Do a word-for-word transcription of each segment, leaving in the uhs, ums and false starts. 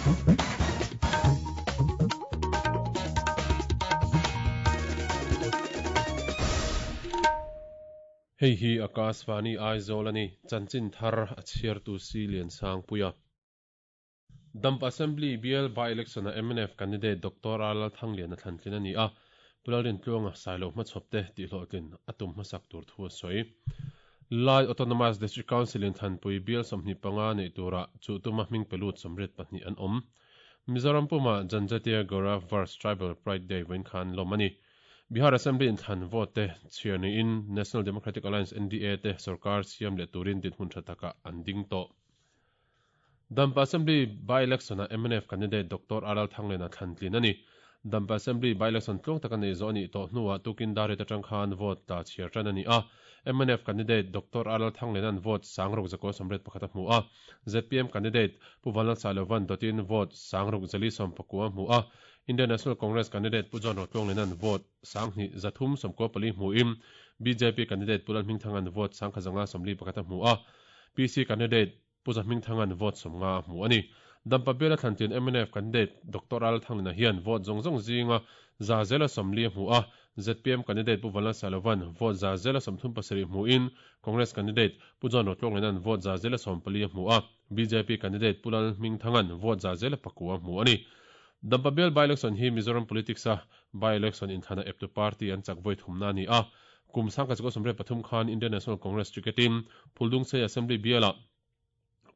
Hei hi Akashvani Aizawl a ni, chanchin thar a chhiartu si Lian Sangpuia. Dampa Assembly bial by-election a M N F candidate Doctor R Lalthangliana thlantlin a ni a, Pu Lalrintluanga Sailo hmachhawpte tihhlawhtlin a tum hmasak tur thu a sawi. Lai Autonomous District Council in thlanpui bial sawmhnih panga neih turah chu tuma hming pe lut sawmriat pahnih an awm. Mizoram puma Janjatiya Gaurav Varsh Tribal Pride Day vawiin khan lawm a ni. Bihar Assembly in thlan vote te chhiar niin National Democratic Alliance N D A te sorkar siam leh turin dinhmun tha takah an ding tawh. Dampa Assembly by-election a M N F candidate Doctor R Lalthangliana thlantlin a ni. Dampa Assembly by-election tluang taka nei zawh a nih tawh hnuah tukin dar riat atang khan vote tla chhiar tan a ni a. M N F candidate Doctor R Lalthangliana'n vote sangruk zakua sawmriat pakhat a hmu a. Z P M candidate Pu Vanlalsailova'n dawtin vote sangruk zali sawm pakua a hmu a. Indian National Congress candidate Pu John Rotluangliana'n vote sanghnih zathum sawmkua pali hmuin B J P candidate Pu Lalhmingthanga'n vote sangkhat zanga sawmli pakhat a hmu a. P C candidate Pu Zahmingthanga'n vote sawmnga a hmu a ni. Dampa biala thlantlin M N F candidate Doctor Lalthangliana hian vote zawng zawng zinga za zela sawmli a hmu a. Z P M candidate Pu Vanlalsailova'n vote za zela sawmthum pasarih hmuin Congress candidate Pu John Rotluangliana'n vote za zela sawm pali a hmu a. B J P candidate Pu Lalhmingthanga'n vote za zela pakua a hmu a ni. Dampa bial by-election hi Mizoram politics a by-election inthlana eptu party an chak voi thumna a ni a. Kum sangkhat zakua sawmriat pathum khan Indian National Congress ticketin Phuldungsei Assembly biala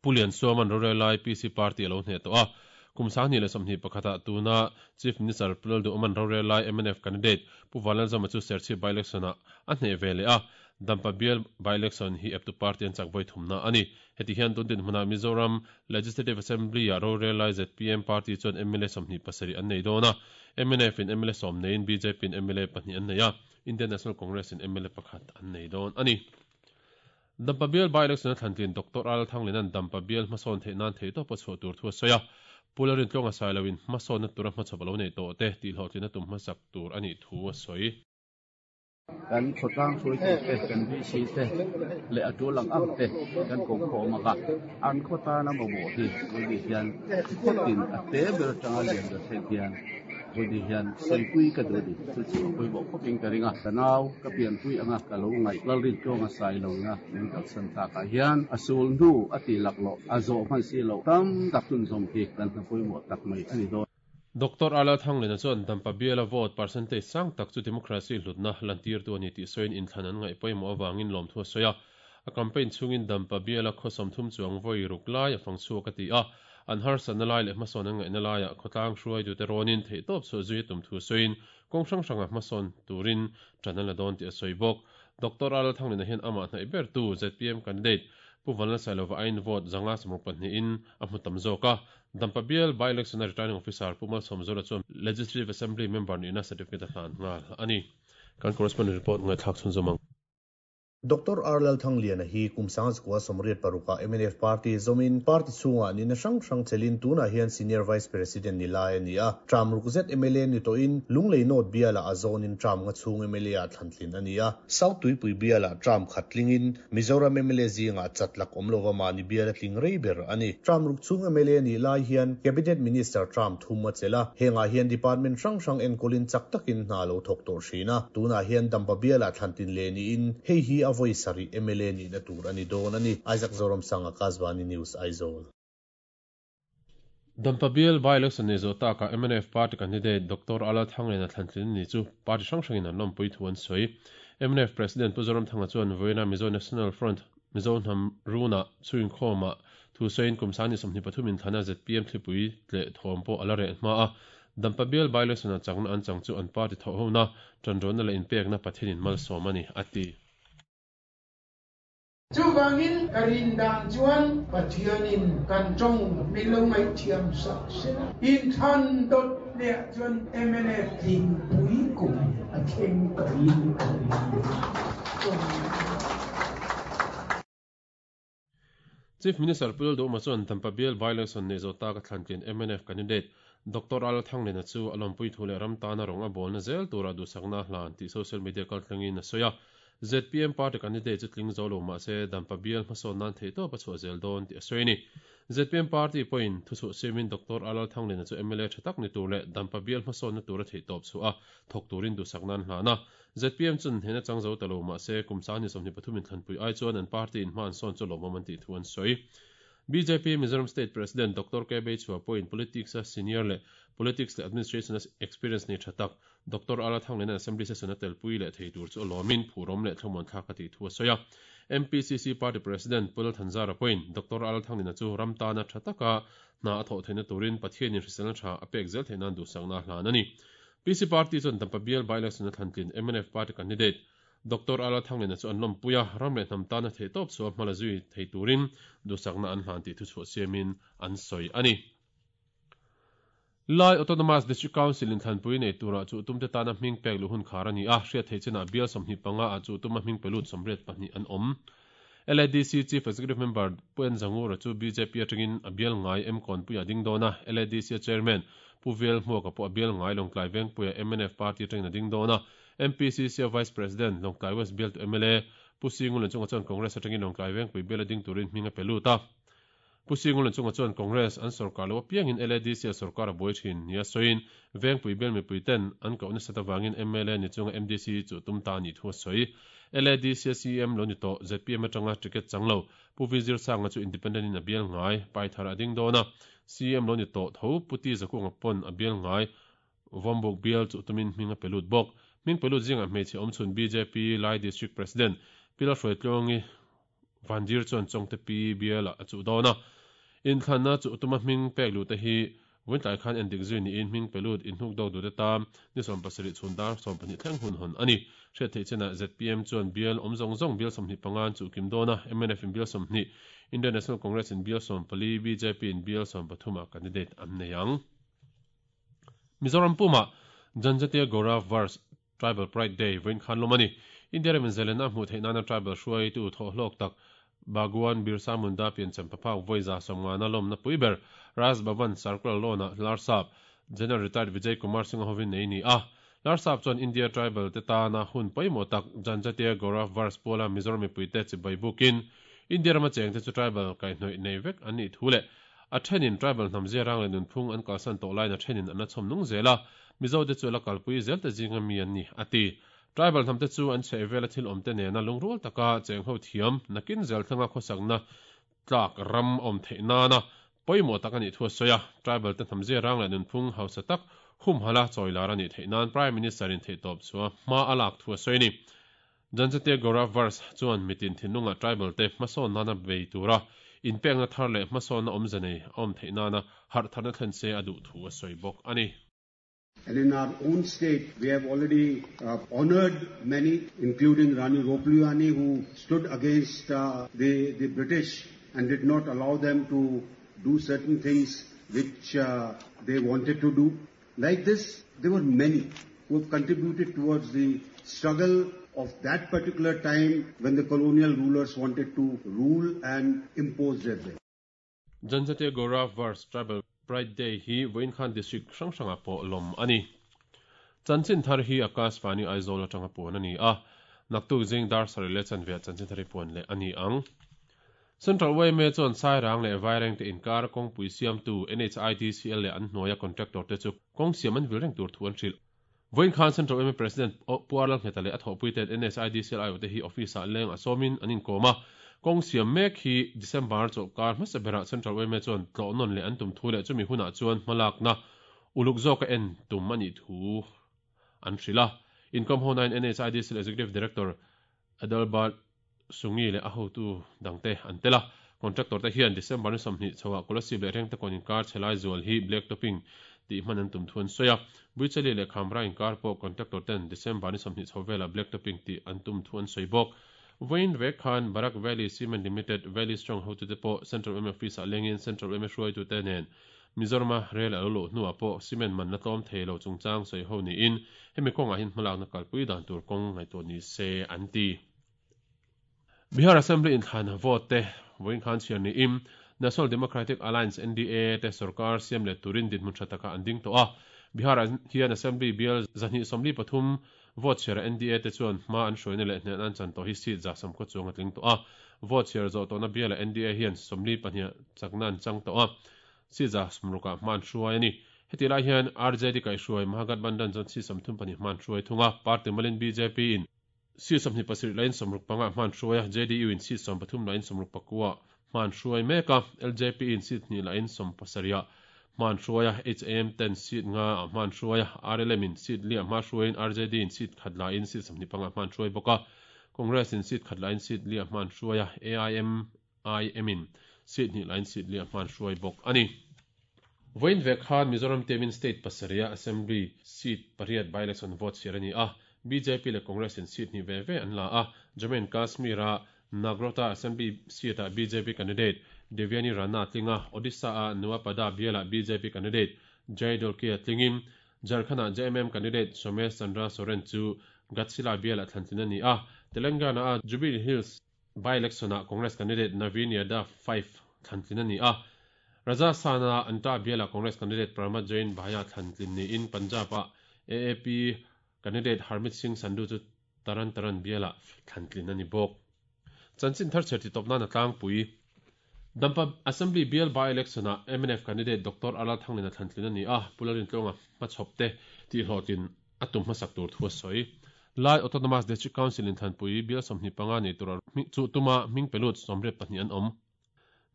Pu Liansuaman rorel lai P C party a lo hneh tawh a. Kum sanghnih leh sawmhnih pakhata tuna Chief Minister Pu Lalduhoma'n rorel lai M N F candidate Pu Vanlalzawma chu Serchhip by-election-ah a hneh ve leh a. Dampa bial by-election hi eptu party an chak voi thumna a ni. Heti hian tun dinhmunah Mizoram Legislative Assembly-ah rorel lai Z P M party chuan M L A sawmhnih pasarih an nei dawn a. M N F in M L A sawm neiin B J P in M L A pahnih an nei a. Indian National Congress in M L A pakhat an nei dawn a ni. Dampa bial by-election a thlantlin Doctor Lalthangliana'n Dampa bial hmasawn theih nan theih tawp a chhuah tur thu a sawi a. Pu Lalrintluanga Sailoin hmasawnna tura hmachhawp a lo nei tawh te tihhlawhtlin a tum hmasak tur a nih thu a sawi. Kan khawtlang hruaitute, kan V C te leh a tul ang ang te kan ko khawm anga, an khawtana mamawh hi vawi hian khawtin a te ber atanga lian ber thleng hian vawi hian sawipui ka duh a ni. Chu chu a pawimawh khawpin ka ring a. Ka nau, ka pianpui anga ka lo ngaih Lalrintluanga Sailoina min kalsan takah hian a sul hnu a ti laklawh a zawh hman si loh tam tak chhunzawm hi kan hna pawimawh tak mai a ni dawn. Doctor Lalthangliana chuan Dampa biala vote percentage sang tak chu democracy hlutna lantirtu a ni tih sawiin inthlan an ngaih pawimawh avangin lawmthu a sawi a. A campaign chhungin Dampa biala khaw sawmthum chuang vawi ruk lai a fang chhuak a ti a. An harsatna lai leh hmasawn an ngaihna laiah khawtlang hruaitute rawnin theihtawp chhuah zui a tum thu sawiin kawng hrang hranga hmasawn turin ṭan an la dawn tih a sawi bawk. Doctor Lalthangliana hian amah hnaih bertu Z P M candidate Pu Vanlalsailova aiin vote zanga sawmruk pahnihin a hmu tam zawk a. Dampa bial by-election a returning officer Pu Malsawmzuala chuan Legislative Assembly member nihna certificate a hlan nghal a ni. Kan correspondent report ngaihthlak chhunzawm ang. Doctor R Lalthangliana hi kum sangzakua sawmriat paruka M N F party zawmin party chhungah nihna hrang hrang chelin tunah hian senior vice president ni lai a ni a. Tram ruk zet M L A ni tawhin Lunglei North biala a zawnin tram nga chhung M L A ah thlantlin a ni a. South Tuipui biala tram khat tlingin Mizoram M L A zingah chatlak awm lova mahni biala tling rei ber a ni. Tram ruk chhung M L A ni lai hian cabinet minister tram thum a chel a. Hengah hian department hrang hrang enkawlin chak takin hna lo thawk tawh thin a. Tunah hian Dampa biala thlantin le niin hei hi a voi sari M L A ni na tur ani dawn a ni. Isaac Zoram Sanga, Akashvani News, Aizawl. Dampa bial by-election nei zawh takah M N F party candidate Doctor Lalthangliana thlantlin ni chu party hrang hrangin an lawmpui thu an sawi. M N F President Pu Zoramthanga chuan vawiina Mizo National Front Mizo hnam runa chhuin khawmah thu sawiin kum sangni sawmhnih pathum inthlana Z P M thlipui tleh thawm pawh a la reh hma a. Dampa bial by-election a chakna an chang chu an party thawh hona ṭanrawna leh inpekna Pathianin malsawm a ni a ti. Chuwangin ka rin dan chuan Pathianin kan tawng min lo ngaihthiam sak sela. Inthlan dawt leh chuan M N F tlingpui kum a thleng ka rin ka ring. Chief Minister Pu Lalduhoma chuan Dampa bial by-election nei zawh taka thlantlin M N F candidate Doctor Lalthangliana chu a lawmpui thu leh ram tana rawng a bawlna zel tura duhsakna hlan tih social media kaltlangin a sawi a. Z P M party candidate chu tling zo lo mahse Dampa bial hmasawn nan theihtawp a chhuah zel dawn tih a sawi a ni. Z P M party pawhin thuchhuah siamin Doctor R Lalthangliana chu M L A tha tak ni tur leh Dampa bial hmasawnna tura theihtawp chhuah a thawk turin duhsakna an hlan a. Z P M chuan hnena chang zo ta lo mah se kum sang ni sawmhnih pathum inthlanpui ai chuan an party in hma an sawn chu lawmawm an tih thu an sawi. B J P Mizoram State President Doctor K Beichhua pawhin politics a senior leh politics leh administration a experience nei tha tak Doctor R Lalthangliana Assembly session a telpui leh thei tur chu a lawmin phurawm leh thlamuan thlak a tih thu a sawi a. M P C C Party President Pu Lal Thanzara pawhin Doctor R Lalthangliana chu ram tana tha taka hna a thawh theihna turin Pathianin hriselna tha a pek zel theih nan duhsakna a hlan a ni. P C Party chuan Dampa bial by-election a thlantlin M N F Party candidate Doctor R Lalthangliana chu an lawmpui a, ram leh hnam tana theihtawp chhuah hmala zui thei turin duhsakna an hlan tih thuchhuah siamin an sawi a ni. Lai Autonomous District Council inthlanpui nei turah chu tumte tana hming pek luh hun khar a ni a, hriat theih chinah bial sawmhnih panga ah chu tuma hming pe lut sawmriat pahnih an awm. L A D C Chief Executive Member Pu N Zangura chu B J P atangin a bial ngai M Kawnpuia ding dawn a, L A D C Chairman Pu Vel Hmuaka pawh a bial ngai Lawngtlai Vengpuia M N F Party atangin a ding dawn a, M P C C Vice President Lawngtlai West bial tu M L A Pu Singulan chunga chuan Congress atangin Lawngtlai Vengpui bial a ding turin hming a pe lut a. Pu Singulan chunga chuan Congress an sorkar lo apiangin L A D C a sorkar a buai thin nia sawiin Vengpui bial mipui ten an kohna sat awangin M L A ni chunga M D C chu tum ta ni thu a sawi. L A D C C M lo ni tawh Z P M atanga ticket chang lo Pu V Zirsanga chu independent in a bial ngai Paithar a ding dawn a, C M lo ni tawh tho Pu T Zakunga pawn a bial ngai Vawmbuk bial chu tumin hming a pe lut bawk. Hming pe lut zinga hmeichhe awmchhun B J P Lai District President Pi Lalhruaitluangi Vandir chuan Chawngte Pi bial a chuh dawn a. Inthlanna chu tuma hming pek lut te hi vawiin tlai khan endik zui niin hming pe lut inhnuk dawk duh te tam ni sawm pasarih chhun dar sawm pahnih thleng hun hawn a ni. Hriat theih chinah Z P M chuan bial awm zawng zawng bial sawmhnih panga an chuh kim dawn a, M N F in bial sawmhnih, Indian National Congress in bial sawm pali, B J P in bial sawm pathum ah candidate an nei ang. Mizoram puma Janjatiya Gaurav Varsh Tribal Pride Day vawiin khan lawm a ni. India ramin zalenna a hmuh theih nana tribal hruaitu thawhhlawk tak Bhagwan Birsa Munda piancham paphak vawi za sawmngana lawmna pui ber Raj Bhavan Circular Lawn-ah Larsap General Retired Vijay Kumar Singh hovin nei ni a. Larsap chuan India tribal te tana hun pawimawh tak Janjatiya Gaurav Varsh puala Mizoram mipuite chibai bukin India rama chengte chu tribal kaihhnawih nei vek an nih thu leh a thenin tribal hnam ziarang leh nunphung an kalsan tawh laiin a thenin an la chhawm nung zel a, Mizo te chu la kalpui zel te zinga mi an ni a ti. Tribal hnam te chu an chhehvela thil awm te nena lungrual taka cheng ho thiam nakin zel thlenga khawsakna tlak ram awm theih nana pawimawh tak a nih thu a sawi a. Tribal te hnam ziarang leh nunphung hausa tak humhala chawilar a nih theih nan Prime Minister in theihtawp chua hma a lak thu a sawi a ni. Janjatiya Gaurav Varsh chuan mitin thinlunga tribal te hmasawn nana bei tura inpekna thar leh hmasawnna awmze nei a awm theih nana harh tharna thlen se a duh thu a sawi bawk a ni. And in our own state, we have already uh, honored many, including Rani Ropliani, who stood against uh, the, the British and did not allow them to do certain things which uh, they wanted to do. Like this, there were many who have contributed towards the struggle of that particular time when the colonial rulers wanted to rule and impose their will. Janjatiya Gaurav Varsh Tribal Pride Day hi vawiin khan district hrang hrangah pawh lawm a ni. Chanchin thar hi Akashvani Aizawl atanga puan a ni a. Naktuk zing dar sarih leh chanve ah chanchin thar hi puan leh a ni ang. Central Y M A chuan Sairang leh Vaireng te inkar kawngpui siamtu N H I D C L leh an hnuaia contractor te chu kawng siam an vil reng tur thu an hrilh. Vawiin khan Central Y M A President Pu R Lalngheta leh a thawhpui ten N H I D C L aiawh te hi office ah leng a sawmin an inkawm a. Kawng siam mek hi December chawlhkar hmasa berah Central Y M A chuan tlawh nawn leh an tum thu leh chumi hunah chuan hmalakna uluk zawk a en tum a nih thu an hrilh a. Inkawm ho nain N H I D C L Executive Director Adalbert Sungi leh a hotu dangte an tel a. Contractor te hian December ni sawmhnih chhoah Kolasib leh Rengtekawn inkar chhelai zual hi black topping tih hman an tum thu an sawi a. Buichali leh Khamra inkar pawh contractor ten December ni sawmhnih chho velah black topping tih an tum thu an sawi bawk. Vawiin vek khan Barak Valley Cement Limited Valley Strong hotute pawh Central Y M A office ah lengin Central Y M A hruaitute nen Mizorama rel a lo luh hnuah pawh cement man la tlawm thei lo chungchang sawi ho niin hemi kawngah hian hmalakna kalpui dan tur kawng ngaihtuah ni se an ti. Bihar Assembly inthlan vote te vawiin khan chhiar niin National Democratic Alliance N D A te sarkar siam leh turin dinhmun tha taka an ding tawh a. Bihar hian Assembly bial zahnih sawmli pathum vote chhiar N D A te chuan hma an hruaina leh hnen an chan tawh hi seat za sawmkhaw chuang a tling tawh a. Vote chhiar zawh tawhna bial N D A hian sawmli pahnih chakna an chang tawh a. Seat za sawmrukah hma an hruai a ni. Heti lai hian R J D kaihhruai Mahagathbandhan chuan seat sawmthum pahnih hma an hruai thung a. Party malin B J P in seat sawmhnih pasarih lain sawmruk panga hma an hruai a. J D U in seat sawm pathum lain sawmruk pakua hma an hruai mek a. L J P in seat hnih lain sawm pasarih hma an hruai a. H A M ten seat nga hma an hruai a. R L M in seat li hma hruaiin R J D in seat khat lain seat sawmhnih panga hma an hruai bawk a. Congress in seat khat lain seat li hma an hruai a. A I M I M in seat hnih lain seat li hma an hruai bawk a ni. Voin ve khan Mizoram temin state pasarih assembly seat pariat by election vote chhiar a ni a. B J P leh Congress in seat hnih ve ve an la a. Jammu and Kashmir a Nagrota assembly seat a B J P candidate Devyani Rana tlinga Odisha a Nuapada biala B J P candidate Jai Dolkia tlingin Jharkhand a J M M candidate Somesh Chandra Soren chu Ghatsila biala thlantlin a ni a. Telangana a Jubilee Hills by election a Congress candidate Naveen Yadav five thlantlin a ni a. Rajasthan a Anta biala Congress candidate Pramod Jain Bhaya thlantlin ni in Punjab a A A P candidate Harmit Singh Sandhu chu Taran Taran biala thlantlin a ni bawk. Chanchin thar cherti topna na tlangpui Dampa Assembly bial by election a M N F candidate Doctor R Lalthangliana thlantlin a ni a. Pularin tlonga hmachhawp te ti hlawhtlin a tum hmasak tur thu a sawi. Lai Autonomous District Council in thlanpui bial sawmhnih panga nei tur chu tuma hming pelut sawmriat pahnih an awm.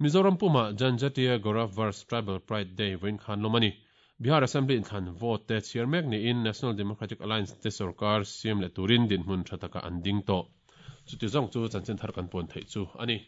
Mizoram puma Janjatiya Gaurav Varsh Tribal Pride Day vawiin khan lawm a ni. Bihar Assembly in thlan vote te chhiar mek niin National Democratic Alliance te sarkar siam leh turin dinhmun tha taka an ding tawh. Chuti zawng chu chanchin thar kan puan theih chu a ni.